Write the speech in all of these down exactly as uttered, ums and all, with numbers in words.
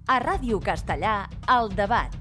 A Ràdio Castellà, El Debat.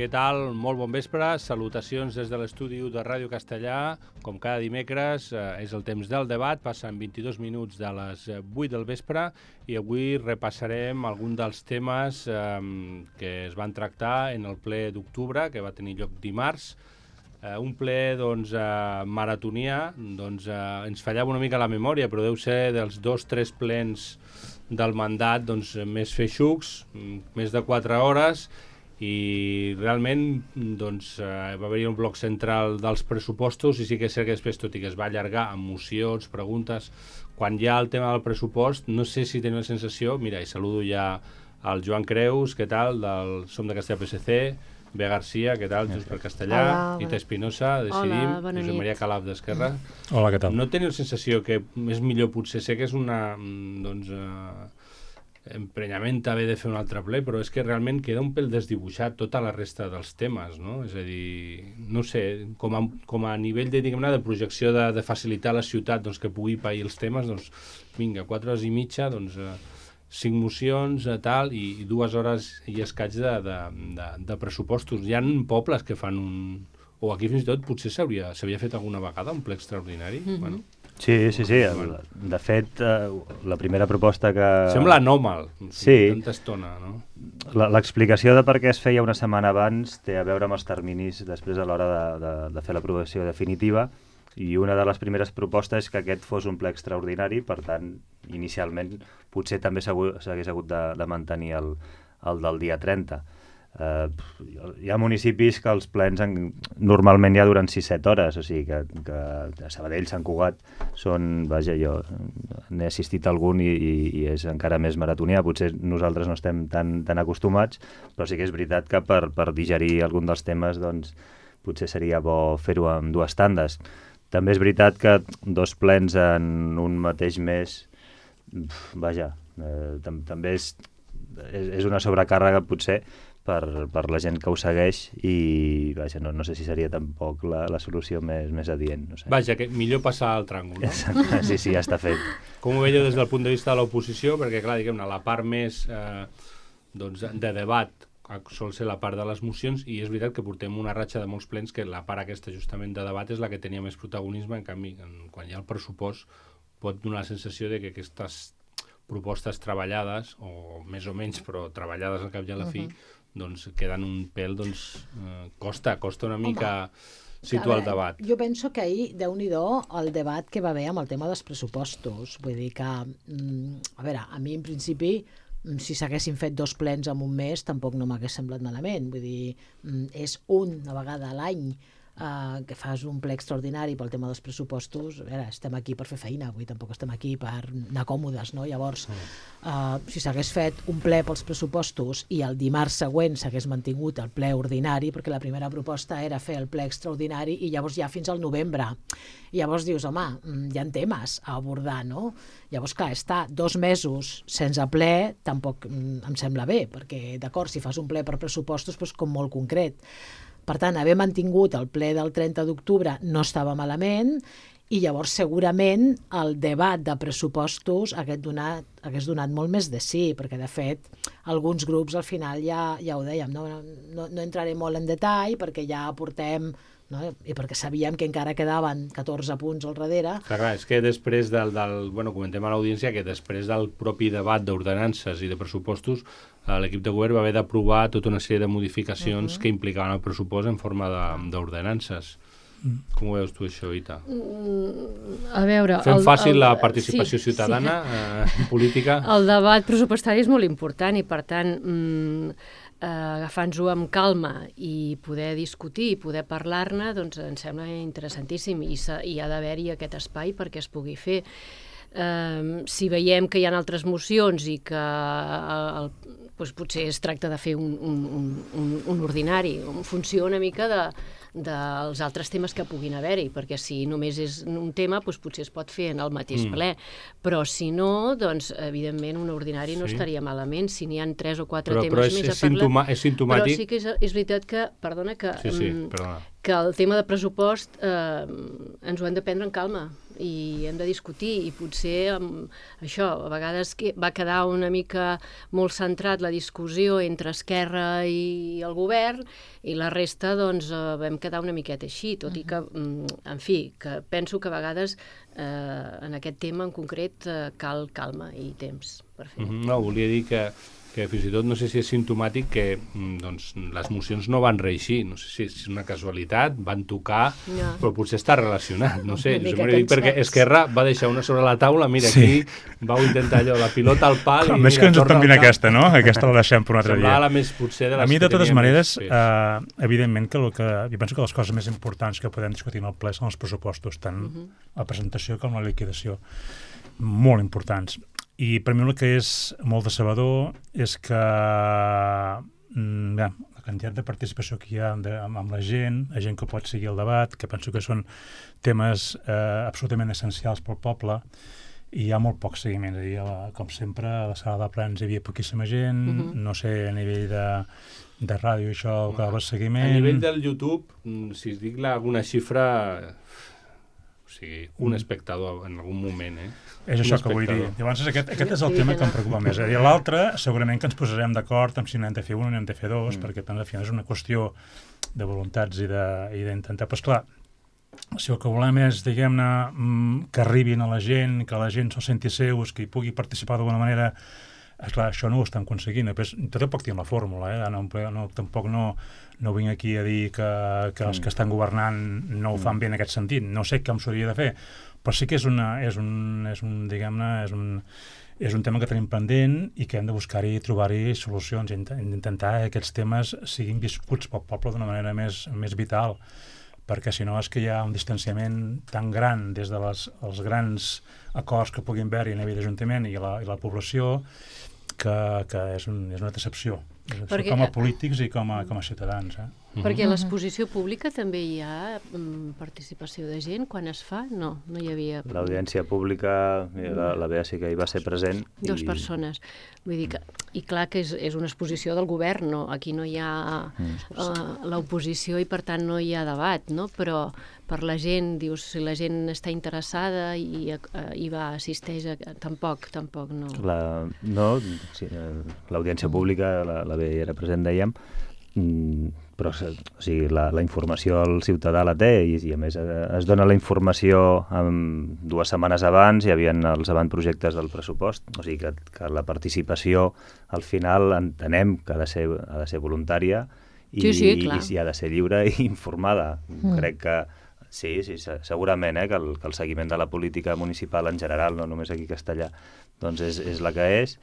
Què tal? Molt bon vespre. Salutacions des de l'estudi de Ràdio Castellà. Com cada dimecres, eh, és el temps del debat. Passen vint-i-dos minuts de les vuit del vespre i avui repassarem algun dels temes eh, que es van tractar en el ple d'octubre, que va tenir lloc dimarts. Eh, un ple doncs, eh, maratonià. Doncs, eh, ens fallava una mica la memòria, però deu ser dels dos o tres plens del mandat doncs, més feixucs, més de quatre hores, i realment doncs, eh, va haver-hi un bloc central dels pressupostos i sí que és cert que després, tot i que es va allargar amb mocions, preguntes, quan hi ha el tema del pressupost, no sé si teniu la sensació, mira, i saludo ja al Joan Creus, què tal, del Som de Castellà P S C, Bea Garcia, què tal, Junts per Castellà, Hola, Ita Espinosa, Decidim, Hola, bona Josep nit. Maria Calaf d'Esquerra. Hola, què tal? No teniu la sensació que és millor, potser sé que és una doncs, eh, emprenyament haver de fer un altre ple, però és que realment queda un pèl desdibuixat tota la resta dels temes, no? És a dir, no sé, com a, com a nivell de, diguem-ne, de projecció de, de facilitar a la ciutat doncs, que pugui pair els temes, doncs vinga, quatre hores i mitja, doncs eh, cinc mocions, eh, tal, i, i dues hores i escaig de, de, de, de pressupostos. Hi ha pobles que fan un... O aquí fins i tot potser s'hauria s'havia fet alguna vegada un ple extraordinari, mm-hmm. bueno... Sí, sí, sí. El, de fet, eh, la primera proposta que... Sembla anòmal, sí. Tanta estona, no? L'explicació de per què es feia una setmana abans té a veure amb els terminis després a l'hora de, de, de fer l'aprovació definitiva, i una de les primeres propostes és que aquest fos un ple extraordinari, per tant, inicialment potser també s'hagués hagut de, de mantenir el, el del dia trenta. Uh, hi ha municipis que els plens en, normalment ja duren sis set hores, o sigui que, que a Sabadell, Sant Cugat són, vaja, jo n'he assistit a algun i, i, i és encara més maratonià, potser nosaltres no estem tan, tan acostumats, però sí que és veritat que per, per digerir algun dels temes doncs potser seria bo fer-ho en dues tandes. També és veritat que dos plens en un mateix mes, vaja, eh, tam també és, és, és una sobrecàrrega potser Per, per la gent que ho segueix i vaja, no, no sé si seria tampoc la, la solució més, més adient. No sé. Vaja, que millor passar al tràngol, no? Exacte, sí, sí, ja està fet. Com ho veieu des del punt de vista de l'oposició? Perquè, clar, diguem-ne, la part més eh, doncs, de debat sol ser la part de les mocions, i és veritat que portem una ratxa de molts plens que la part aquesta justament de debat és la que tenia més protagonisme. En canvi, en, quan hi ha el pressupost pot donar la sensació de que aquestes propostes treballades, o més o menys, però treballades al cap i a la fi, uh-huh. doncs queden un pèl, doncs eh, costa, costa una mica Home, situar el debat. Jo penso que ahir, Déu-n'hi-do, el debat que va haver amb el tema dels pressupostos. Vull dir que, mm, a veure, a mi en principi, si s'haguessin fet dos plens en un mes, tampoc no m'hagués semblat malament. Vull dir, mm, és una vegada a l'any Uh, que fas un ple extraordinari pel tema dels pressupostos. A veure, estem aquí per fer feina, avui tampoc estem aquí per anar còmodes, no? Llavors, uh, si s'hagués fet un ple pels pressupostos i el dimarts següent s'hagués mantingut el ple ordinari, perquè la primera proposta era fer el ple extraordinari i llavors ja fins al novembre. I llavors dius, home, hi ha temes a abordar, no? Llavors, clar, estar dos mesos sense ple tampoc mm, em sembla bé, perquè, d'acord, si fas un ple per pressupostos, doncs com molt concret. Per tant, haver mantingut el ple del trenta d'octubre no estava malament, i llavors segurament el debat de pressupostos hagués donat, hagués donat molt més de sí, perquè de fet alguns grups al final ja, ja ho dèiem, no, no, no entraré molt en detall perquè ja portem, no? I perquè sabíem que encara quedaven catorze punts al darrere. Clar, clar, és que després del, del bueno, comentem a l'audiència que després del propi debat d'ordenances i de pressupostos, l'equip de govern va haver d'aprovar tota una sèrie de modificacions uh-huh. que implicaven el pressupost en forma d'ordenances. Mm. Com ho veus tu, això, Ita? Mm, a veure... Fem el, fàcil el, la participació sí, ciutadana sí. Eh, política? El debat pressupostari és molt important i, per tant, mm, eh, agafant-ho amb calma i poder discutir i poder parlar-ne, doncs em sembla interessantíssim i, i ha d'haver-hi aquest espai perquè es pugui fer. eh, si veiem que hi ha altres mocions i que el, doncs potser es tracta de fer un, un, un, un ordinari, en funció una mica de dels altres temes que puguin haver-hi, perquè si només és un tema, doncs potser es pot fer en el mateix mm. ple, però si no, doncs, evidentment, un ordinari no sí. estaria malament, si n'hi ha tres o quatre però, temes però és, més és a parlar. Sintoma, és simptomàtic. Però sí que és, és veritat que, perdona, que, sí, sí, perdona. que el tema de pressupost eh, ens ho hem de prendre en calma i hem de discutir, i potser amb això, a vegades que va quedar una mica molt centrat la discussió entre Esquerra i el govern, i la resta, doncs, eh, vam quedar una miqueta així, tot i que, en fi, que penso que a vegades eh, en aquest tema en concret eh, cal calma i temps per fer. Mm-hmm. No, volia dir que que fins i tot no sé si és simptomàtic que doncs, les mocions no van reeixir, no sé si és una casualitat, van tocar, no. però potser està relacionat, no sé, jo dic perquè Esquerra va deixar una sobre la taula, mira, sí. aquí vau intentar allò, la pilota al pal... A més mira, que ens tombin aquesta, no? Aquesta la deixem per un altre dia. La més, potser, de les a mi, de totes maneres, més... uh, evidentment, que, el que jo penso que les coses més importants que podem discutir en el ple són els pressupostos, tant uh-huh. la presentació com la liquidació. Molt importants. I per mi el que és molt decebedor és que mm, ja, la quantitat de participació que hi ha de, amb, amb la gent, la gent que pot seguir el debat, que penso que són temes eh, absolutament essencials pel poble, i hi ha molt poc seguiment. És a dir, la, com sempre, a la sala de plens hi havia poquíssima gent, uh-huh. no sé, a nivell de, de ràdio això, que va seguiment... A nivell del YouTube, si es dic alguna xifra... O sigui, un espectador en algun moment, eh? És això que vull dir. Llavors, aquest, aquest és el tema que em preocupa més. I l'altre, segurament que ens posarem d'acord amb si n'hem de fer un o n'hem de fer dos, mm. perquè, al final, és una qüestió de voluntats i d'intentar... Però, esclar, si el que volem és, diguem-ne, que arribin a la gent, que la gent se'l senti seus, que hi pugui participar d'alguna manera... Esclar, això no ho estan aconseguint. Després, tot poc tinc la fórmula, eh? No, no, tampoc no, no vinc aquí a dir que, que els que estan governant no ho fan bé en aquest sentit. No sé com s'hauria de fer, però sí que és, una, és, un, és un, diguem-ne, és un, és un tema que tenim pendent i que hem de buscar-hi i trobar-hi solucions, i intentar que aquests temes siguin viscuts pel poble d'una manera més, més vital, perquè si no és que hi ha un distanciament tan gran des dels de els grans acords que puguin haver-hi a nivell d'Ajuntament i, la, i la població, que, que és, un, és una decepció, perquè, com a polítics i com a, com a ciutadans. Eh? Perquè a l'exposició pública també hi ha um, participació de gent quan es fa? No, no hi havia... L'audiència pública, la, la Bea sí que hi va ser present. Dos i... persones. Vull dir que, i clar que és, és una exposició del govern, no? Aquí no hi ha uh, l'oposició i per tant no hi ha debat, no? Però per la gent, dius, si la gent està interessada i uh, hi va, assisteix, a, tampoc, tampoc no. La, no, sí, l'audiència pública, la, la Bea hi era present, dèiem, mm, però o sigui, la, la informació el ciutadà la té i, i a més es dona la informació um, dues setmanes abans, hi havia els avantprojectes del pressupost, o sigui que, que la participació al final entenem que ha de ser, ha de ser voluntària i, sí, sí, i, i si ha de ser lliure i informada. Mm. Crec que sí, sí, segurament eh, que, el, que el seguiment de la política municipal en general, no només aquí a Castellar, doncs és, és la que és.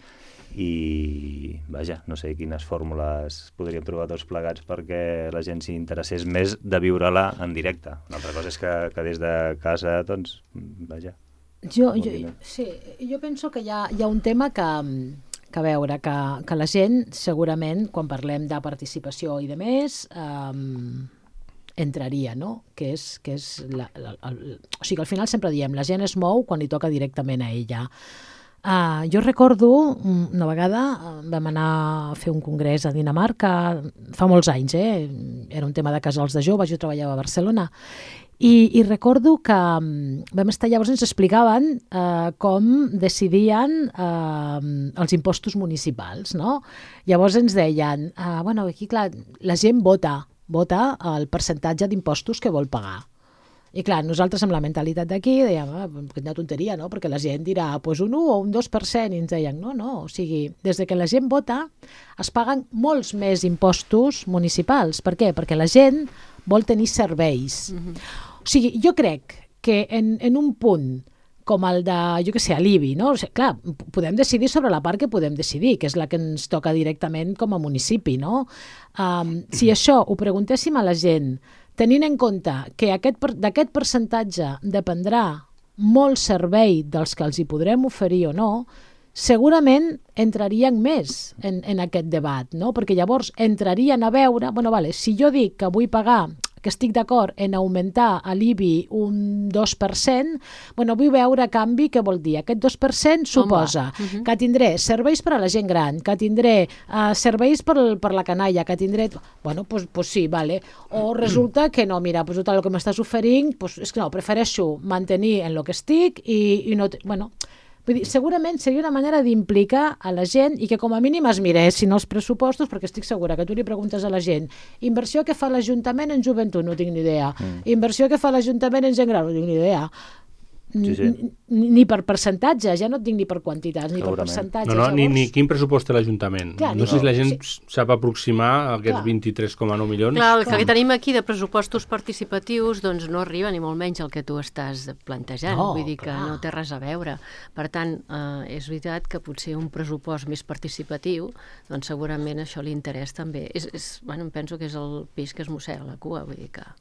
I, vaja, no sé quines fórmules podríem trobar tots plegats perquè la gent s'hi interessés més de viure-la en directe. Una altra cosa és que, que des de casa, doncs, vaja. Jo, jo, sí, jo penso que hi ha, hi ha un tema que, que a veure, que, que la gent, segurament, quan parlem de participació i de més, um, entraria, no? Que és, que és la, la, el, o sigui, al final sempre diem, la gent es mou quan li toca directament a ella. Uh, jo recordo una vegada vam anar a fer un congrés a Dinamarca fa molts anys, eh? Era un tema de casals de joves, jo treballava a Barcelona i, i recordo que vam estar, llavors ens explicaven uh, com decidien uh, els impostos municipals, no? Llavors ens deien, uh, bueno, aquí clar, la gent vota, vota el percentatge d'impostos que vol pagar. I clar, nosaltres amb la mentalitat d'aquí dèiem, ah, quina tonteria, no? Perquè la gent dirà pues un u o un dos per cent, i ens deien, no, no, o sigui, des de que la gent vota es paguen molts més impostos municipals. Per què? Perquè la gent vol tenir serveis. Mm-hmm. O sigui, jo crec que en, en un punt com el de, jo què sé, a l'I B I, no? O sigui, clar, podem decidir sobre la part que podem decidir, que és la que ens toca directament com a municipi, no? Um, si això ho preguntéssim a la gent, tenint en compte que aquest, d'aquest percentatge dependrà molt servei dels que els hi podrem oferir o no, segurament entrarien més en, en aquest debat, no? Perquè llavors entrarien a veure, bueno, vale, si jo dic que vull pagar, que estic d'acord en augmentar a l'I B I un dos per cent, bueno, vull veure a canvi què vol dir. Aquest dos per cent suposa uh-huh. que tindré serveis per a la gent gran, que tindré uh, serveis per, per la canalla, que tindré... Bueno, doncs pues, pues sí, vale. O resulta que no, mira, pues, tot el que m'estàs oferint, pues, és que no, prefereixo mantenir en lo que estic i, i no... Bueno, vull dir, segurament seria una manera d'implicar a la gent i que com a mínim es miressin els pressupostos, perquè estic segura que tu li preguntes a la gent inversió que fa l'Ajuntament en joventut, no tinc ni idea. Mm. Inversió que fa l'Ajuntament en gent gran, no tinc ni idea. Sí, sí. Ni, ni per percentatge, ja no et dic ni per quantitats, ni per percentatge. No, no, llavors... ni, ni quin pressupost té l'Ajuntament. No, no sé si la gent sí. sap aproximar aquests vint-i-tres coma nou milions. Clar, el que Clar. tenim aquí de pressupostos participatius doncs no arriba ni molt menys al que tu estàs plantejant. No, Vull dir que clar. no té res a veure. Per tant, eh, és veritat que potser un pressupost més participatiu, doncs segurament això li interessa també. És, és, bueno, em penso que és el peix que es mossega la cua, vull dir que...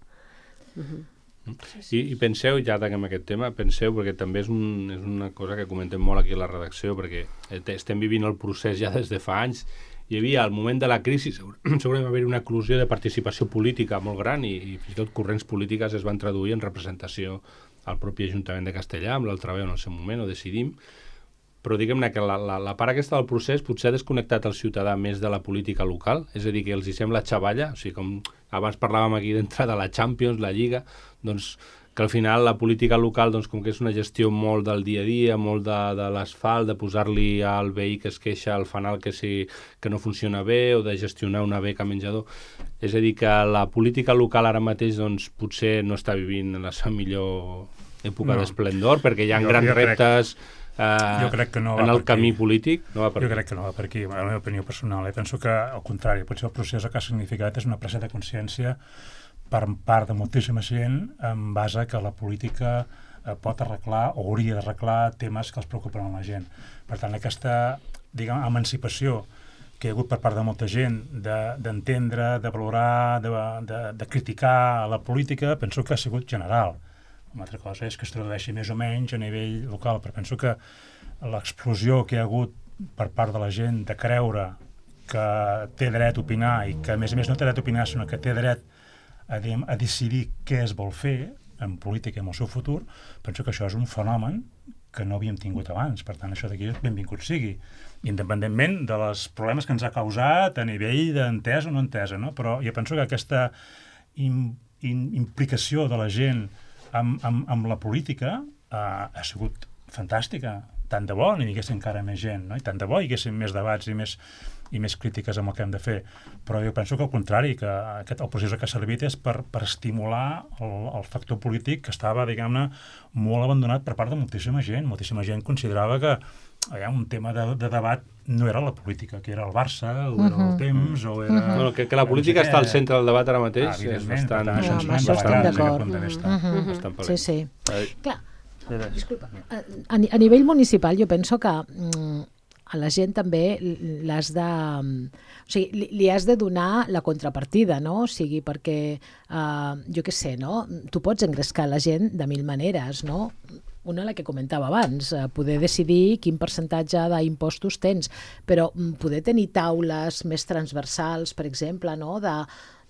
Uh-huh. I, i penseu, ja tanquem aquest tema, penseu, perquè també és, un, és una cosa que comentem molt aquí a la redacció, perquè estem vivint el procés ja des de fa anys. Hi havia, al moment de la crisi, segurament va haver una eclosió de participació política molt gran i, i fins i tot corrents polítiques es van traduir en representació al propi Ajuntament de Castellà, amb l'altaveu en el seu moment, ho decidim, però diguem-ne que la, la, la part aquesta del procés potser ha desconnectat el ciutadà més de la política local, és a dir, que els hi sembla xavalla, o sigui, com abans parlàvem aquí d'entrada de la Champions, la Lliga, doncs que al final la política local, doncs, com que és una gestió molt del dia a dia, molt de, de l'asfalt, de posar-li al veí que es queixa al fanal que, sí, que no funciona bé, o de gestionar una beca menjador. És a dir, que la política local ara mateix doncs, potser no està vivint en la seva millor època no. d'esplendor, perquè hi ha jo, grans jo reptes... Crec... Uh, jo crec que no va en el per camí aquí. polític no va per jo aquí. crec que no va per aquí, la meva opinió personal. Eh? Penso que, al contrari, potser el procés el que ha significat és una presa de consciència per part de moltíssima gent en base que la política eh, pot arreglar o hauria d'arreglar temes que els preocupen a la gent. Per tant, aquesta, diguem, emancipació que hi ha hagut per part de molta gent d'entendre, de, de valorar, de, de, de criticar la política, penso que ha sigut general. Una altra cosa és que es tradueixi més o menys a nivell local, però penso que l'explosió que hi ha hagut per part de la gent de creure que té dret a opinar i que a més a més no té dret a opinar, sinó que té dret a, diguem, a decidir què es vol fer en política i en el seu futur, penso que això és un fenomen que no havíem tingut abans. Per tant, això d'aquí benvingut sigui, independentment dels problemes que ens ha causat a nivell d'entesa o no entesa, no? Però jo penso que aquesta im, im, implicació de la gent Amb, amb, amb la política uh, ha sigut fantàstica. Tant de bo n'hi hagués encara més gent, no? I tant de bo hi haguessin més debats i més, i més crítiques amb el que hem de fer. Però jo penso que al contrari, que aquest, el procés que ha servit és per, per estimular el, el factor polític que estava, diguem-ne, molt abandonat per part de moltíssima gent. Moltíssima gent considerava que allà, un tema de, de debat no era la política, que era el Barça, o era el temps, o era... Uh-huh. Bueno, que, que la política no sé està al centre del debat ara mateix ah, és bastant... Ah, això amb això estem d'acord. Uh-huh. Bastant sí, sí. Ai. Clar, disculpa, a, a nivell municipal jo penso que mm, a la gent també l'has de... O sigui, li, li has de donar la contrapartida, no? O sigui, perquè, uh, jo què sé, no? Tu pots engrescar la gent de mil maneres, no? Una, la que comentava abans, eh, poder decidir quin percentatge d'impostos tens, però poder tenir taules més transversals, per exemple, no? de,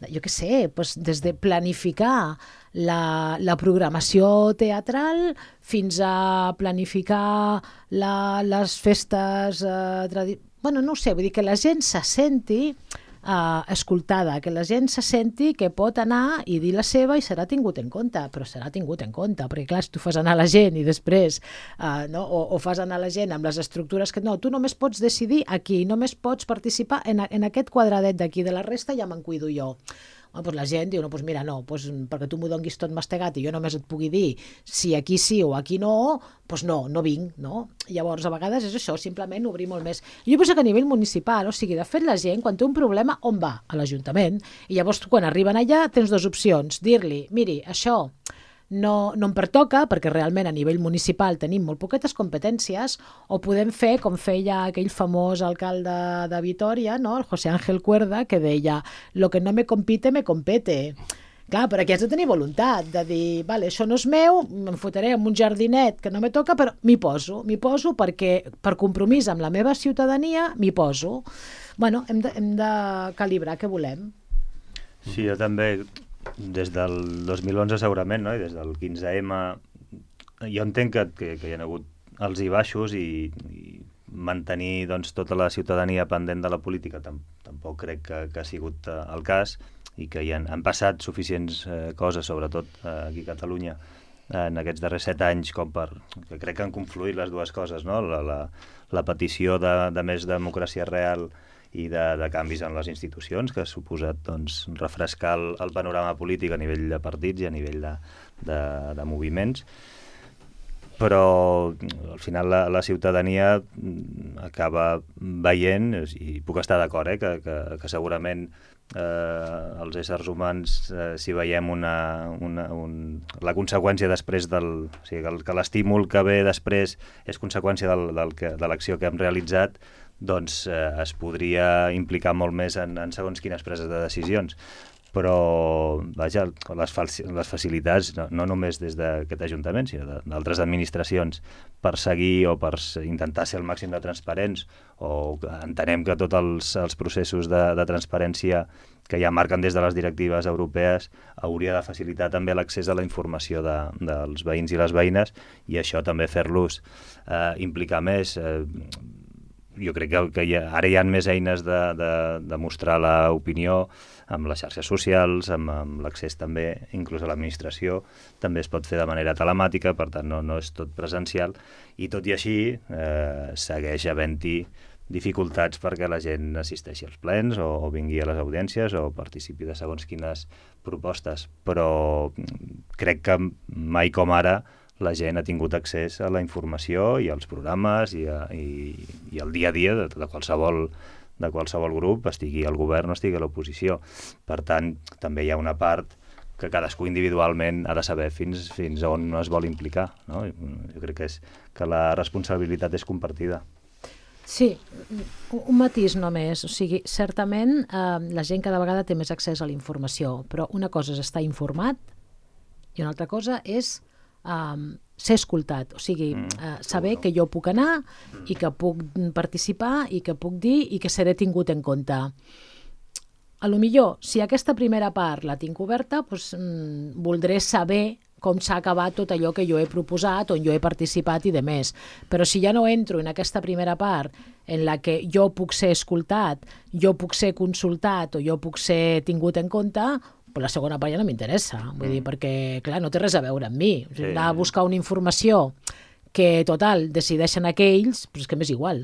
de, jo què sé, doncs des de planificar la, la programació teatral fins a planificar la, les festes... Eh, tradi... Bueno, no ho sé, vull dir que la gent se senti... Uh, escoltada, que la gent se senti que pot anar i dir la seva i serà tingut en compte, però serà tingut en compte, perquè clar, si tu fas anar la gent i després uh, no? o, o fas anar la gent amb les estructures que no, tu només pots decidir aquí, només pots participar en, en aquest quadradet d'aquí, de la resta ja me'n cuido jo. Bueno, doncs la gent diu, no, doncs mira, no, doncs perquè tu m'ho donguis tot mastegat i jo només et pugui dir si aquí sí o aquí no, doncs no, no vinc, no? Llavors, a vegades és això, simplement obrir molt més. Jo penso que a nivell municipal, o sigui, de fet la gent, quan té un problema, on va? A l'Ajuntament. I llavors, quan arriben allà, tens dues opcions. Dir-li, miri, això no, no em pertoca, perquè realment a nivell municipal tenim molt poquetes competències, o podem fer com feia aquell famós alcalde de Vitoria, no? El José Ángel Cuerda, que deia, lo que no me compite, me compete. Clar, però aquí has de tenir voluntat de dir, vale, això no és meu, em fotré en un jardinet que no me toca, però m'hi poso, m'hi poso perquè per compromís amb la meva ciutadania m'hi poso. Bueno, hem de, hem de calibrar què volem. Sí, jo també, des del dos mil onze segurament, no? I des del quinze ema, jo entenc que, que, que hi ha hagut alts i baixos i, i mantenir doncs, tota la ciutadania pendent de la política tam tampoc crec que, que ha sigut uh, el cas, i que hi han, han passat suficients eh, coses, sobretot eh, aquí a Catalunya, eh, en aquests darrers set anys, com per... que crec que han confluït les dues coses, no? La, la, la petició de, de més democràcia real i de, de canvis en les institucions, que ha suposat doncs, refrescar el, el panorama polític a nivell de partits i a nivell de, de, de moviments. Però al final la, la ciutadania acaba veient, i puc estar d'acord, eh, que, que, que segurament eh, els éssers humans, eh, si veiem una, una, un, la conseqüència després del... O sigui, que l'estímul que ve després és conseqüència del, del que, de l'acció que hem realitzat, doncs eh, es podria implicar molt més en, en segons quines preses de decisions. Però, vaja, les, les facilitats, no, no només des d'aquest Ajuntament, sinó d'altres administracions, per seguir o per intentar ser el màxim de transparents, o entenem que tots els, els processos de, de transparència que ja marquen des de les directives europees hauria de facilitar també l'accés a la informació de, dels veïns i les veïnes, i això també fer-los eh, implicar més. Eh, jo crec que, que hi ha, ara hi ha més eines de, de, de mostrar l'opinió, amb les xarxes socials, amb, amb l'accés també, inclús a l'administració, també es pot fer de manera telemàtica, per tant no, no és tot presencial, i tot i així eh, segueix havent-hi dificultats perquè la gent assisteixi als plens o, o vingui a les audiències o participi de segons quines propostes, però crec que mai com ara la gent ha tingut accés a la informació i als programes i, a, i, i al dia a dia de, de qualsevol de qualsevol grup, estigui al govern o estigui a l'oposició. Per tant, també hi ha una part que cadascú individualment ha de saber fins, fins on es vol implicar, no? Jo crec que, és, que la responsabilitat és compartida. Sí, un matís només. O sigui, certament eh, la gent cada vegada té més accés a la informació, però una cosa és estar informat i una altra cosa és Um, ser escoltat, o sigui, uh, saber que jo puc anar i que puc participar i que puc dir i que seré tingut en compte. A lo millor, si aquesta primera part la tinc oberta, doncs, mm, voldré saber com s'ha acabat tot allò que jo he proposat, on jo he participat i de més. Però si ja no entro en aquesta primera part en la que jo puc ser escoltat, jo puc ser consultat o jo puc ser tingut en compte, però la segona part ja no m'interessa, vull dir, perquè, clar, no té res a veure amb mi. O sigui, anar a buscar una informació que, total, decideixen aquells, però és que m'és igual.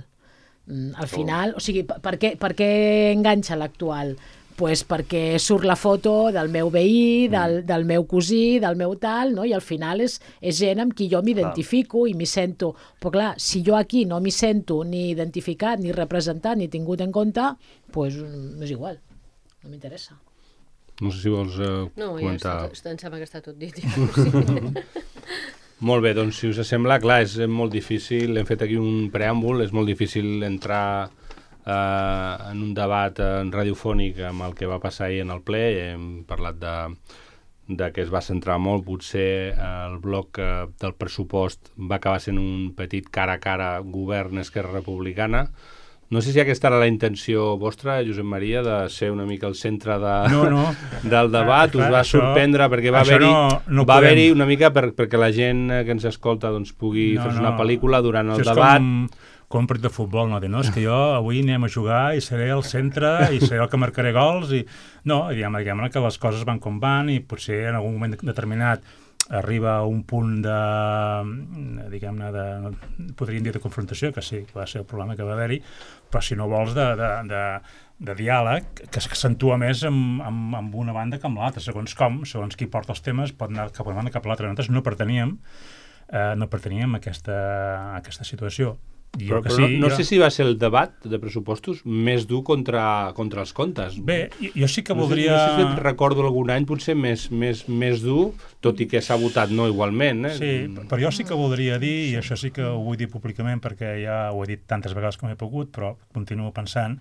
Al final, o sigui, per què, per què enganxa l'actual? Pues perquè surt la foto del meu veí, del, del meu cosí, del meu tal, no? I al final és, és gent amb qui jo m'identifico i m'hi sento. Però clar, si jo aquí no m'hi sento ni identificat, ni representat, ni tingut en compte, pues m'és igual, no m'interessa. No sé si vols uh, no, comentar... No, ja em sembla que està tot dit. Ja. Molt bé, doncs si us sembla, clar, és molt difícil, hem fet aquí un preàmbul, és molt difícil entrar eh, en un debat eh, radiofònic amb el que va passar ahir en el ple. Hem parlat de, de que es va centrar molt, potser eh, el bloc eh, del pressupost va acabar sent un petit cara a cara govern-Esquerra Republicana. No sé si aquesta era la intenció vostra, Josep Maria, de ser una mica el centre de, no, no. del debat. Clar, us va això, sorprendre perquè va haver-hi no, no va haver-hi una mica per, perquè la gent que ens escolta doncs, pugui no, fer no. una pel·lícula durant el això debat. És com, com un partit de futbol, no? no? És que jo avui anem a jugar i seré el centre i seré el que marcaré gols. I... No, diguem, diguem que les coses van com van i potser en algun moment determinat arriba a un punt de, diguem-ne, de, podríem dir de confrontació, que sí, que va ser el problema que va haver-hi, però si no vols de, de, de, de diàleg, que s'accentua més amb, amb, amb una banda que amb l'altra, segons com, segons qui porta els temes, pot anar cap a una banda cap a l'altra. Nosaltres no perteníem, eh, no perteníem a aquesta, a aquesta situació. Però, però sí, no, no jo... sé si va ser el debat de pressupostos més dur contra, contra els comptes. Bé, jo sí que voldria... No sé, no sé si recordo algun any potser més, més, més dur, tot i que s'ha votat no igualment. Eh? Sí, però jo sí que voldria dir, i això sí que ho vull dir públicament perquè ja ho he dit tantes vegades com he pogut, però continuo pensant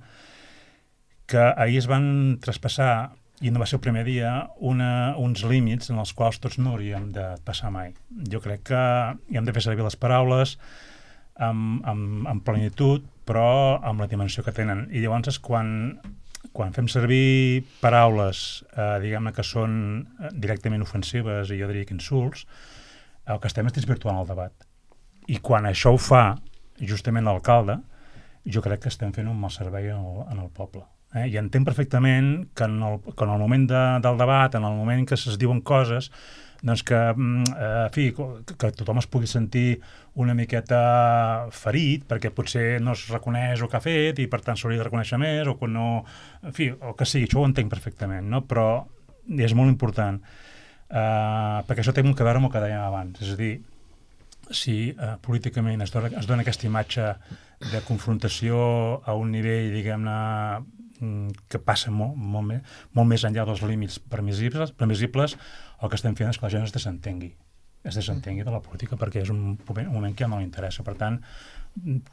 que ahir es van traspassar i no va ser el primer dia, una, uns límits en els quals tots no hauríem de passar mai. Jo crec que hi hem de fer servir les paraules amb, amb, amb plenitud, però amb la dimensió que tenen. I llavors, quan, quan fem servir paraules, eh, diguem-ne, que són directament ofensives, i jo diria que insults, el que estem és desvirtuant el debat. I quan això ho fa justament l'alcalde, jo crec que estem fent un mal servei en el, en el poble. Eh? I entenc perfectament que en el, que en el moment de, del debat, en el moment que es diuen coses, doncs que, eh, en fi, que, que tothom es pugui sentir una miqueta ferit, perquè potser no es reconeix el que ha fet i per tant s'hauria de reconèixer més, o que no... En fi, el que sigui, això ho entenc perfectament, no? Però és molt important, eh, perquè això té molt a veure amb el que dèiem abans, és a dir, si eh, políticament es dona, es dona aquesta imatge de confrontació a un nivell, diguem-ne, que passa molt, molt, més, molt més enllà dels límits permissibles, permissibles, el que estem fent és que la gent es desentengui, es desentengui de la política, perquè és un moment, un moment que ja no li interessa. Per tant,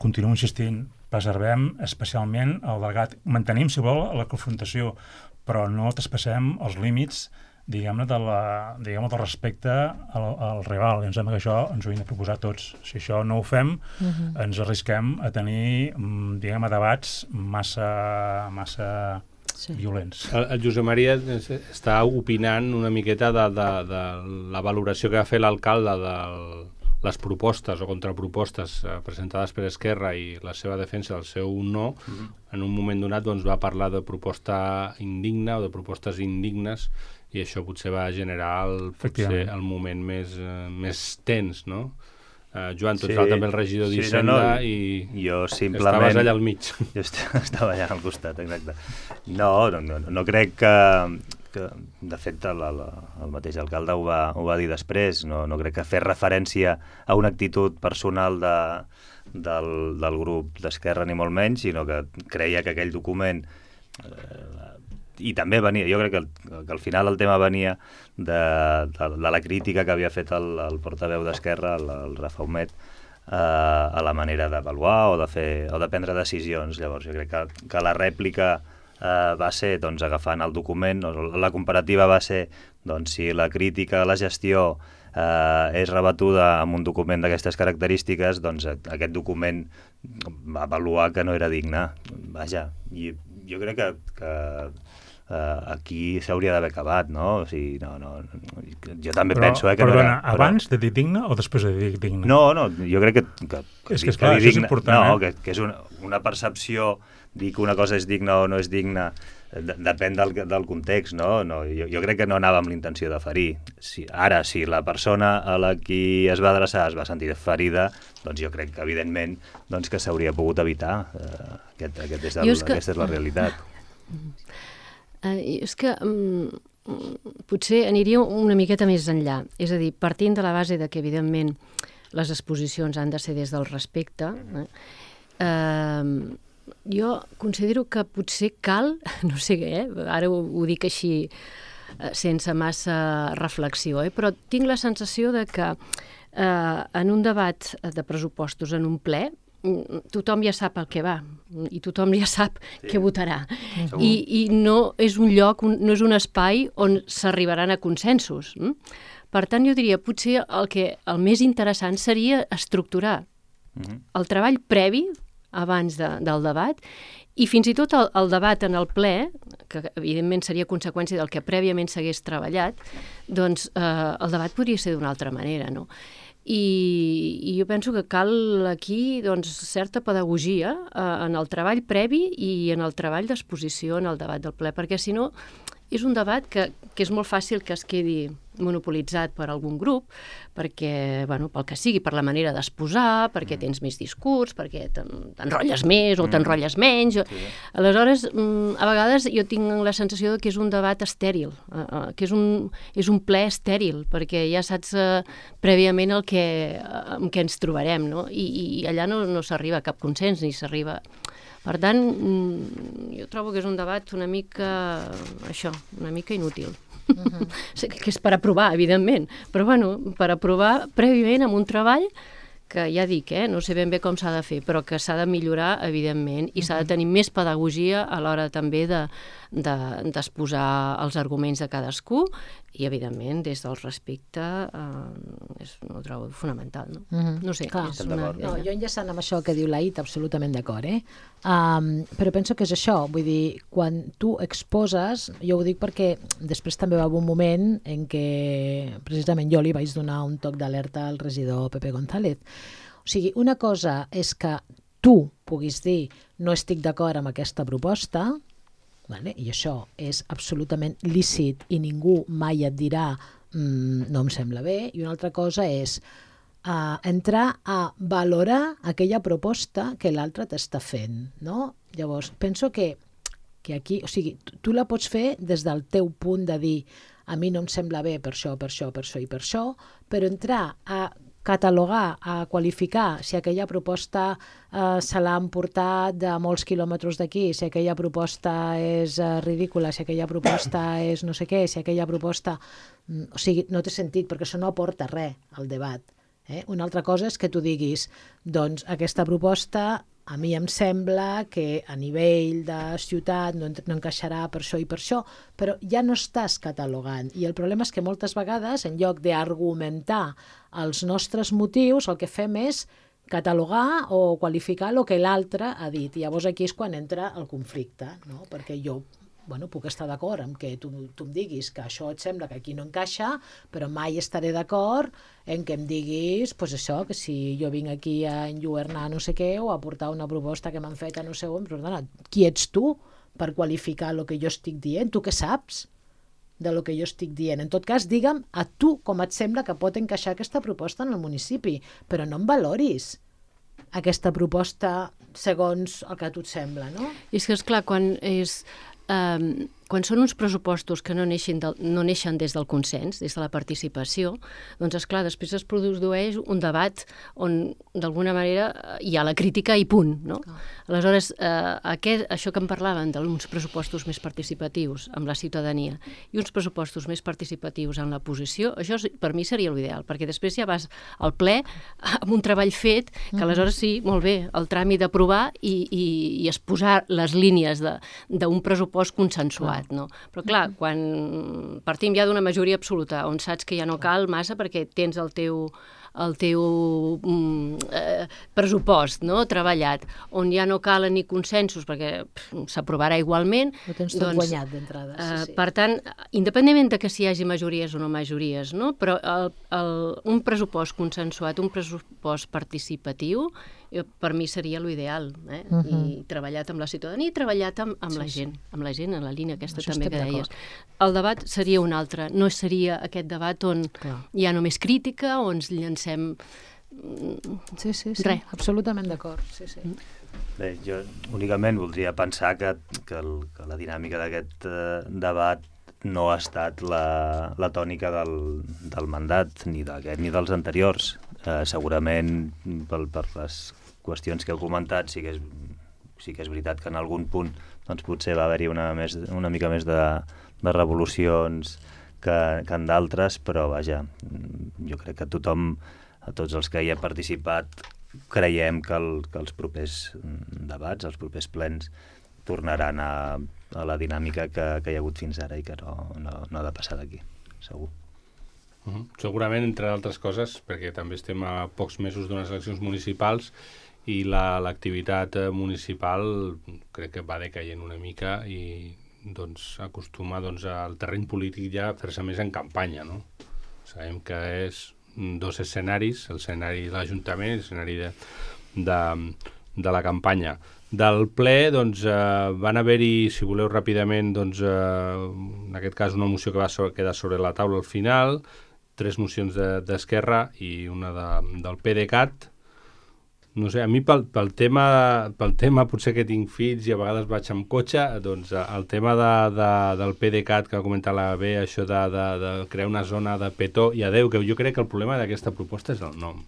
continuo insistint, preservem especialment el delegat, mantenim, si vol, la confrontació, però no traspassem els límits, diguem-ne, de la, diguem-ne, del respecte al, al rival. I em sembla que això ens ho hem de proposar tots. Si això no ho fem, uh-huh. ens arrisquem a tenir, diguem-ne, debats massa, massa sí. violents. El, el Josep Maria està opinant una miqueta de, de, de la valoració que va fer l'alcalde de les propostes o contrapropostes presentades per Esquerra i la seva defensa del seu no. Uh-huh. En un moment donat doncs, va parlar de proposta indigna o de propostes indignes, i això potser va generar el, potser el moment més, uh, més tens, no? Uh, Joan, tu ets sí, també el regidor sí, d'Hisenda no, no, i jo simplement, estaves allà al mig. Jo estava allà al costat, exacte. No, no, no, no crec que, que de fet, el, el, el mateix alcalde ho va, ho va dir després, no, no crec que fer referència a una actitud personal de, del, del grup d'Esquerra, ni molt menys, sinó que creia que aquell document... Eh, i també venia, jo crec que, el, que al final el tema venia de, de, de la crítica que havia fet el, el portaveu d'Esquerra, el, el Rafa Humet, eh, a la manera d'avaluar o de fer o de prendre decisions. Llavors jo crec que, que la rèplica eh, va ser doncs, agafant el document, o la comparativa va ser doncs, si la crítica a la gestió eh, és rebatuda amb un document d'aquestes característiques, doncs aquest document va avaluar que no era digne. Vaja, i jo crec que, que Uh, aquí s'hauria d'haver acabat, no? O sigui, no, no, no jo també però, penso eh, que perdona, no era... Però... abans de dir digne o després de dir digne? No, no, jo crec que... que, que és que, esclar, això és important, no, eh? que, que és una, una percepció, dir que una cosa és digna o no és digna, de, depèn del, del context, no? no jo, jo crec que no anava amb l'intenció de ferir. Si, ara, si la persona a la qui es va adreçar es va sentir ferida, doncs jo crec que, evidentment, doncs que s'hauria pogut evitar. Uh, aquest, aquest és el, és que... Aquesta és la realitat. Uh, és que um, potser aniria una miqueta més enllà. És a dir, partint de la base de que, evidentment, les exposicions han de ser des del respecte, eh? Uh, jo considero que potser cal, no sé què, eh? Ara ho, ho dic així uh, sense massa reflexió, eh? Però tinc la sensació de que uh, en un debat de pressupostos, en un ple, tothom ja sap el que va i tothom ja sap sí. què votarà I, i no és un lloc, un, no és un espai on s'arribaran a consensos. Per tant, jo diria, potser el, que, el més interessant seria estructurar uh-huh. el treball previ abans de, del debat i fins i tot el, el debat en el ple, que evidentment seria conseqüència del que prèviament s'hagués treballat, doncs eh, el debat podria ser d'una altra manera, no? I, i jo penso que cal aquí doncs, certa pedagogia eh, en el treball previ i en el treball d'exposició en el debat del ple, perquè si no és un debat que, que és molt fàcil que es quedi monopolitzat per algun grup, perquè, bueno, pel que sigui, per la manera d'exposar, perquè tens més discurs, perquè t'enrotlles més o t'enrotlles menys. Sí. Aleshores, a vegades jo tinc la sensació que és un debat estèril, que és un, és un ple estèril, perquè ja saps uh, prèviament el que, amb què ens trobarem, no? I, i allà no, no s'arriba a cap consens, ni s'arriba... Per tant, jo trobo que és un debat una mica, això, una mica inútil. Uh-huh. Que és per aprovar, evidentment, però bueno, per aprovar prèviament amb un treball que ja dic, eh, no sé ben bé com s'ha de fer, però que s'ha de millorar, evidentment, i s'ha de tenir més pedagogia a l'hora també de, de, d'exposar els arguments de cadascú, i, evidentment, des del respecte, eh, és, no ho trobo fonamental, no? Mm-hmm. No sé, Clar, és una... no, jo enllaçant amb això que diu l'Aït, absolutament d'acord, eh? Um, però penso que és això, vull dir, quan tu exposes, jo ho dic perquè després també va haver un moment en què precisament jo li vaig donar un toc d'alerta al regidor Pepe González. O sigui, una cosa és que tu puguis dir no estic d'acord amb aquesta proposta, vale? I això és absolutament lícit i ningú mai et dirà mm, no em sembla bé, i una altra cosa és Uh, entrar a valorar aquella proposta que l'altre t'està fent, no? Llavors, penso que, que aquí, o sigui, tu, tu la pots fer des del teu punt de dir a mi no em sembla bé per això, per això, per això i per això, però entrar a catalogar, a qualificar si aquella proposta eh, se l'ha emportat de molts quilòmetres d'aquí, si aquella proposta és eh, ridícula, si aquella proposta és no sé què, si aquella proposta... Mm, o sigui, no té sentit, perquè això no aporta res al debat. Eh? Una altra cosa és que tu diguis, doncs aquesta proposta a mi em sembla que a nivell de ciutat no, no encaixarà per això i per això, però ja no estàs catalogant. I el problema és que moltes vegades, en lloc d'argumentar els nostres motius, el que fem és catalogar o qualificar el que l'altre ha dit. I llavors aquí és quan entra el conflicte, no? Perquè jo bueno, puc estar d'acord amb que tu, tu em diguis que això et sembla que aquí no encaixa, però mai estaré d'acord en que em diguis pues això, que si jo vinc aquí a enlluernar no sé què o a portar una proposta que m'han fet a no sé on, però perdona, qui ets tu per qualificar el que jo estic dient? Tu què saps de lo que jo estic dient? En tot cas, digue'm a tu com et sembla que pot encaixar aquesta proposta en el municipi, però no em valoris aquesta proposta segons el que a tu et sembla, no? I és que, esclar, quan és... Um, quan són uns pressupostos que no neixen, del, no neixen des del consens, des de la participació, doncs, esclar, després es produeix un debat on, d'alguna manera, hi ha la crítica i punt, no? Oh. Aleshores, eh, aquest, això que em parlaven d'uns pressupostos més participatius amb la ciutadania i uns pressupostos més participatius en la posició, això per mi seria l'ideal, perquè després ja vas al ple amb un treball fet, que aleshores sí, molt bé, el tràmit d'aprovar i, i, i exposar les línies d'un pressupost consensuat. No? Però clar, quan partim ja d'una majoria absoluta, on saps que ja no cal massa perquè tens el teu, el teu mm, eh, pressupost, no? Treballat, on ja no calen ni consensos perquè s'aprovarà igualment. Ho tens tot doncs, guanyat d'entrada. Sí, eh, sí. Per tant, independentment de que si hi hagi majories o no majories, no? Però el, el, un pressupost consensuat, un pressupost participatiu, jo, per mi seria l'ideal, eh? Uh -huh. I treballat amb la ciutadania i treballat amb, amb sí, la gent, sí. amb la gent, en la línia aquesta això també que deies. El debat seria un altre, no seria aquest debat on Clar. Hi ha només crítica, on ens llancem sí, sí, sí. res. Absolutament d'acord, sí, sí. Bé, jo únicament voldria pensar que, que, el, que la dinàmica d'aquest eh, debat no ha estat la, la tònica del, del mandat, ni d'aquest ni dels anteriors. Eh, segurament per, per les qüestions que heu comentat sí que és, sí que és veritat que en algun punt doncs, potser va haver-hi una, més, una mica més de, de revolucions que, que en d'altres, però vaja, jo crec que tothom, a tots els que hi ha participat, creiem que, el, que els propers debats, els propers plens, tornaran a, a la dinàmica que, que hi ha hagut fins ara i que no, no, no ha de passar d'aquí, segur. Uh-huh. Segurament, entre altres coses, perquè també estem a pocs mesos d'unes eleccions municipals i l'activitat la, municipal crec que va decaient una mica i doncs, acostuma doncs, al terreny polític ja a fer-se més en campanya, no? Sabem que és dos escenaris, l'escenari de l'Ajuntament i l'escenari de, de, de la campanya. Del ple, doncs, eh, van haver-hi, si voleu ràpidament, doncs, eh, en aquest cas una moció que va so- quedar sobre la taula al final, tres mocions d'Esquerra de, i una de, del PDeCAT. No sé, a mi pel, pel, tema, pel tema potser que tinc fills i a vegades vaig amb cotxe, doncs el tema de, de, del PDeCAT que ha comentat la B, això de, de, de crear una zona de petó, i adeu, que jo crec que el problema d'aquesta proposta és el nom.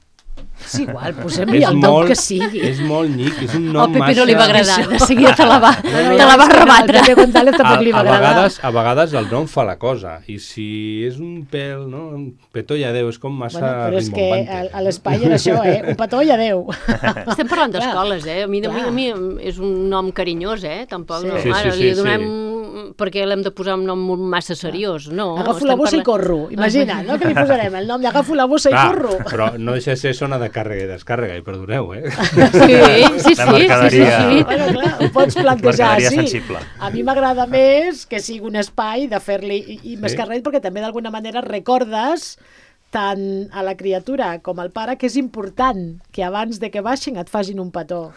És igual, posem-li el nom molt, que sigui. És molt nyic, és un nom Al Pepe massa... no li va agradar, de seguida te la va, No, te no, la va és que no, rebatre. al Pepe González A, tampoc li va a, agradar. vegades, a vegades el nom fa la cosa, i si és un pèl, no? Un petó i adéu, és com massa Bueno, però és que rimbombante. a, a l'espai era això, eh? Un petó i adéu. Estem parlant Clar. d'escoles, eh? A mi, a, mi, Clar. a mi és un nom carinyós, eh? Tampoc, Sí. no. Sí, sí, Ara sí, li sí. donem... Perquè l'hem de posar un nom massa seriós, no? Agafo estem la bossa i parlant- corro. Imagina, no? Que li posarem el nom d'agafo la bossa i Clar, corro. però no deixa de ser zona de càrrega i descàrrega, i perdoneu, eh? Sí, sí, sí, La sí, sí, mercaderia. sí, sí. Bueno, clar, ho pots plantejar Mercaderia així. sensible. A mi m'agrada més que sigui un espai de fer-li... I, i més Sí. que res, perquè també d'alguna manera recordes tant a la criatura com al pare que és important que abans de que baixin et facin un petó.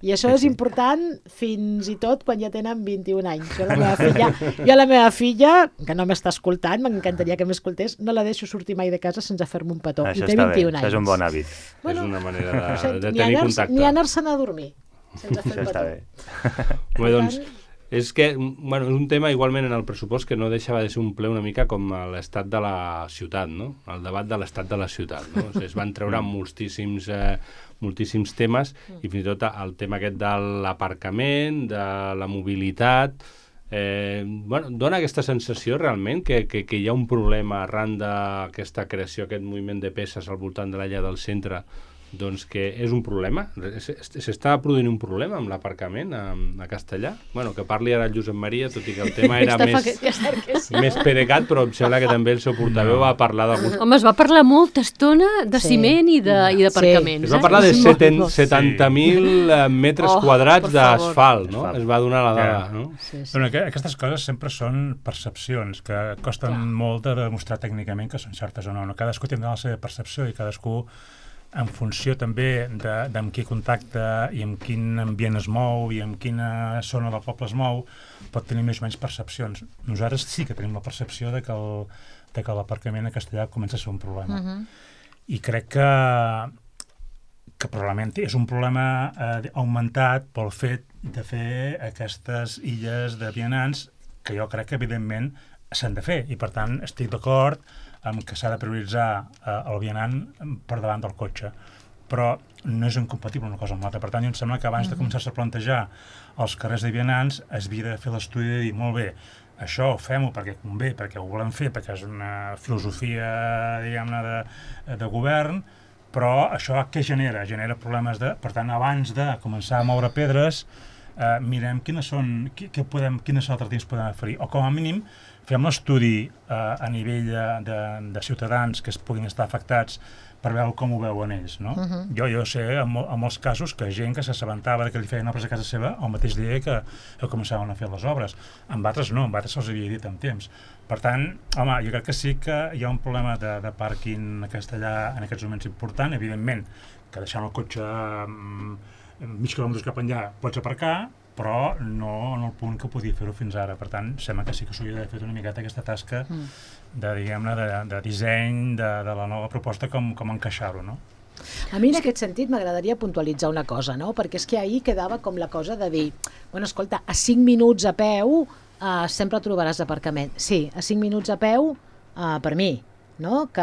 I això és important fins i tot quan ja tenen vint-i-un anys. Jo a la meva filla, jo a la meva filla que no m'està escoltant, m'encantaria que m'escoltés, no la deixo sortir mai de casa sense fer-me un petó. Això I té està bé, vint-i-un anys. això és un bon hàbit. És una manera de, No sé, de ni tenir anar- contacte. Ni anar-se'n a dormir sense fer Això un està petó. bé. Bé, doncs, és que, bueno, és un tema igualment en el pressupost que no deixava de ser un ple una mica com l'estat de la ciutat, no? El debat de l'estat de la ciutat, no? O sigui, es van treure moltíssims, eh, moltíssims temes i fins i tot el tema aquest de l'aparcament, de la mobilitat... Eh, bueno, dona aquesta sensació realment que, que, que hi ha un problema arran d'aquesta creació, aquest moviment de peces al voltant de la llar del centre, doncs que és un problema. S'està produint un problema amb l'aparcament a, a Castellà? Bueno, que parli ara el Josep Maria, tot i que el tema era Està més, fa que- que cert que sí. més perecat, però em sembla que també el seu portaveu va parlar d'alguns... Home, es va parlar molta estona de Sí. ciment i de- i d'aparcaments. Es va eh? parlar de Sí. seten- Molt. setanta mil eh, metres Oh, quadrats per favor. d'asfalt, no? Asfalt. Es va donar la dada, Ja. no? Sí, sí. Bueno, que, aquestes coses sempre són percepcions que costen Clar. molt de demostrar tècnicament que són certes o no. no. Cadascú tindrà la seva percepció i cadascú, en funció també de, de amb qui contacta i amb quin ambient es mou i amb quina zona del poble es mou, pot tenir més o menys percepcions. Nosaltres sí que tenim la percepció de que el, de que l'aparcament a Castellà comença a ser un problema. Uh -huh. I crec que que probablement és un problema eh, augmentat pel fet de fer aquestes illes de vianants que jo crec que evidentment s'han de fer i per tant estic d'acord amb que s'ha de prioritzar eh, el vianant per davant del cotxe, però no és incompatible una cosa amb l'altra. Per tant, jo em sembla que abans de començar-se a plantejar els carrers de vianants es havia de fer l'estudi de dir, molt bé, això fem-ho perquè convé, perquè ho volem fer, perquè és una filosofia, diguem-ne, de, de govern, però això què genera? Genera problemes de... Per tant, abans de començar a moure pedres, eh, mirem quines són, qui, què podem, quines alternatives podem oferir, o com a mínim fem l'estudi eh, a nivell de, de, de ciutadans que es puguin estar afectats per veure com ho veuen ells, no? Uh -huh. Jo, jo sé, en, mo en molts casos, que gent que s'assabentava que li feien obres a casa seva el mateix dia que, que començaven a fer les obres. Amb altres no, amb altres se'ls havia dit amb temps. Per tant, home, jo crec que sí que hi ha un problema de, de pàrquing a Castellà en aquests moments important, evidentment, que deixant el cotxe um, mig quilòmetres cap enllà pots aparcar, però no en el punt que podia fer-ho fins ara. Per tant, sembla que sí que s'hauria d'haver fet una miqueta aquesta tasca mm. de, diguem-ne, de, de disseny de, de la nova proposta, com, com encaixar-ho, no? A mi en aquest sentit m'agradaria puntualitzar una cosa, no? Perquè és que ahir quedava com la cosa de dir, bueno, escolta, a cinc minuts a peu eh, sempre trobaràs aparcament. Sí, a cinc minuts a peu eh, per mi, no? Que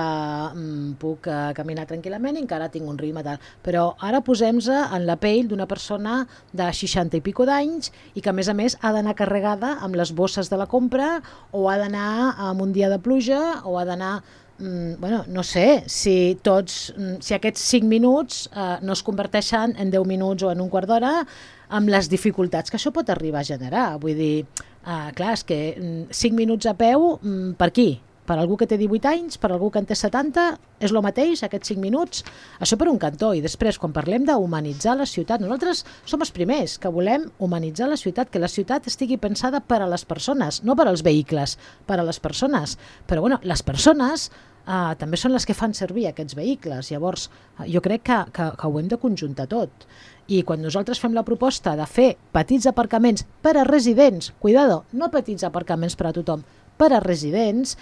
mm, puc eh, caminar tranquil·lament i encara tinc un ritme tal. Però ara posem-se en la pell d'una persona de seixanta i pico d'anys i que a més a més ha d'anar carregada amb les bosses de la compra o ha d'anar amb un dia de pluja o ha d'anar... Mm, bueno, no sé, si tots, si aquests cinc minuts eh, no es converteixen en deu minuts o en un quart d'hora, amb les dificultats que això pot arribar a generar. Vull dir, eh, clar, és que mm, cinc minuts a peu, mm, per qui? Per algú que té divuit anys, per algú que en té setanta, és el mateix, aquests cinc minuts? Això per un cantó. I després, quan parlem d'humanitzar la ciutat, nosaltres som els primers que volem humanitzar la ciutat, que la ciutat estigui pensada per a les persones, no per als vehicles, per a les persones. Però, bueno, les persones eh, també són les que fan servir aquests vehicles. Llavors, eh, jo crec que, que, que ho hem de conjuntar tot. I quan nosaltres fem la proposta de fer petits aparcaments per a residents, cuidado, no petits aparcaments per a tothom, per a residents,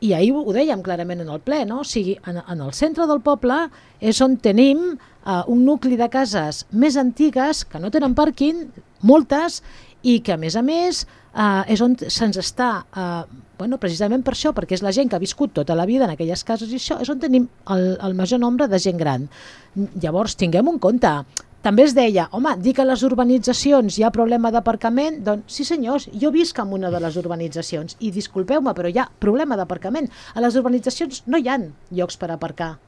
i ahir ho dèiem clarament en el ple, no? O sigui, en, en el centre del poble és on tenim eh, un nucli de cases més antigues que no tenen pàrquing, moltes, i que a més a més eh, és on se'ns està eh, Bueno, precisament per això, perquè és la gent que ha viscut tota la vida en aquelles cases i això és on tenim el, el major nombre de gent gran. Llavors, tinguem en compte. També es deia, home, dir que a les urbanitzacions hi ha problema d'aparcament, doncs sí senyors, jo visc en una de les urbanitzacions i disculpeu-me, però hi ha problema d'aparcament. A les urbanitzacions no hi ha llocs per aparcar.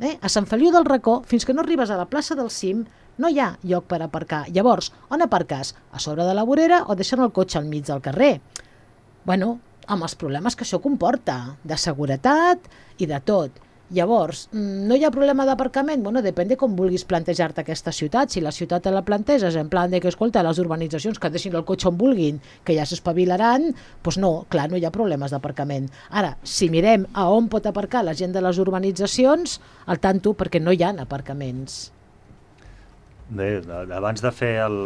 Eh? A Sant Feliu del Racó, fins que no arribes a la plaça del Cim, no hi ha lloc per aparcar. Llavors, on aparques? A sobre de la vorera o deixant el cotxe al mig del carrer? Bueno, amb els problemes que això comporta, de seguretat i de tot. Llavors, no hi ha problema d'aparcament? Bueno, depèn de com vulguis plantejar-te aquesta ciutat. Si la ciutat te la planteges en plan de que, escolta, les urbanitzacions que deixin el cotxe on vulguin, que ja s'espavilaran, doncs no, clar, no hi ha problemes d'aparcament. Ara, si mirem a on pot aparcar la gent de les urbanitzacions, al tanto, perquè no hi ha aparcaments. Bé, abans de fer el...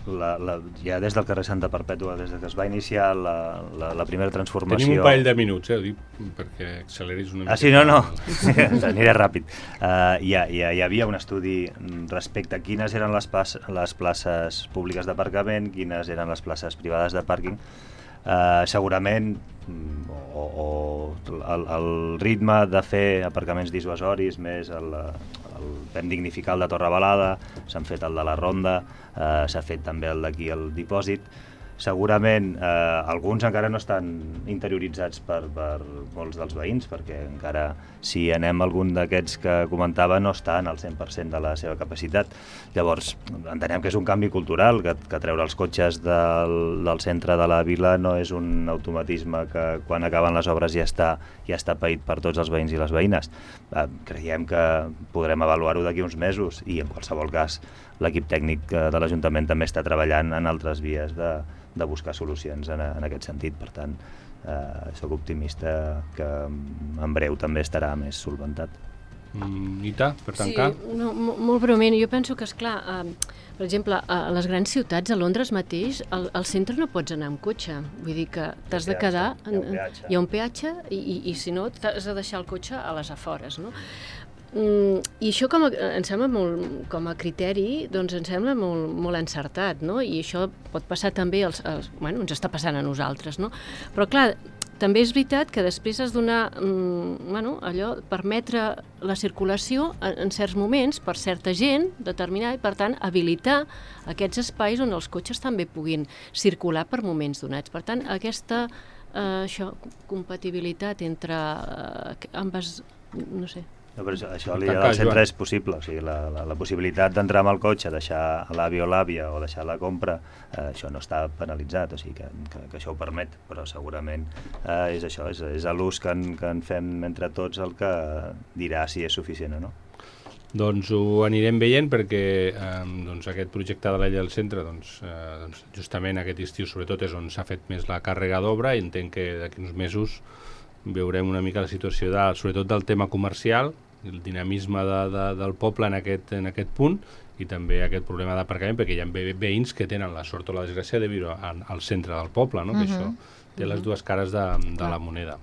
La, la, ja des del carrer Santa Perpètua, des que es va iniciar la, la, la primera transformació... Tenim un parell de minuts, eh, ho dic perquè acceleris una mica. Ah, sí, no, no, aniré ràpid. Uh, hi, ha, hi, ha, hi havia un estudi respecte a quines eren les, pas, les places públiques d'aparcament, quines eren les places privades de pàrquing. Uh, segurament o, o el, el ritme de fer aparcaments dissuasoris més el, el vam dignificar el de Torrebalada, s'han fet el de la Ronda, eh, s'ha fet també el d'aquí el dipòsit. Segurament eh, alguns encara no estan interioritzats per, per molts dels veïns, perquè encara si anem a algun d'aquests que comentava no estan al cent per cent de la seva capacitat. Llavors entenem que és un canvi cultural, que, que treure els cotxes del, del centre de la vila no és un automatisme que quan acaben les obres ja està, ja està paït per tots els veïns i les veïnes. Eh, creiem que podrem avaluar-ho d'aquí uns mesos i en qualsevol cas l'equip tècnic de l'Ajuntament també està treballant en altres vies de, de buscar solucions en, en aquest sentit. Per tant, eh, soc optimista que en breu també estarà més solventat. Mm, Nita, per tancar? Sí, no, molt breument. Jo penso que, esclar, eh, per exemple, a les grans ciutats, a Londres mateix, al, al centre no pots anar amb cotxe. Vull dir que t'has de quedar... Hi ha un peatge. Hi ha un peatge i, i, i si no, t'has de deixar el cotxe a les afores, no? Mm, I això com a, em sembla molt, com a criteri, doncs em sembla molt, molt encertat, no? I això pot passar també, als, als, bueno, ens està passant a nosaltres, no? Però clar, també és veritat que després has de donar, mm, bueno, allò, permetre la circulació en, en certs moments per certa gent determinada i, per tant, habilitar aquests espais on els cotxes també puguin circular per moments donats. Per tant, aquesta eh, això, compatibilitat entre eh, ambes, no sé... No, però això, això a l'illa del centre és possible, o sigui, la, la, la possibilitat d'entrar amb el cotxe, deixar l'avi o l'àvia o deixar la compra, eh, això no està penalitzat, o sigui que, que, que això ho permet, però segurament eh, és això, és, és l'ús que, en, que en fem entre tots el que dirà si és suficient o no. Doncs ho anirem veient perquè eh, doncs aquest projecte de l'illa del centre doncs, eh, doncs justament aquest estiu sobretot és on s'ha fet més la càrrega d'obra i entenc que d'aquí uns mesos veurem una mica la situació de, sobretot del tema comercial, el dinamisme de, de, del poble en aquest, en aquest punt i també aquest problema d'aparcament perquè hi ha ve veïns que tenen la sort o la desgràcia de viure al, al centre del poble, no? Uh -huh. Que això té les dues cares de, de la moneda.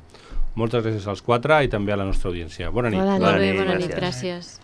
Moltes gràcies als quatre i també a la nostra audiència. Bona nit. Bona nit. Bona nit, bona nit, gràcies.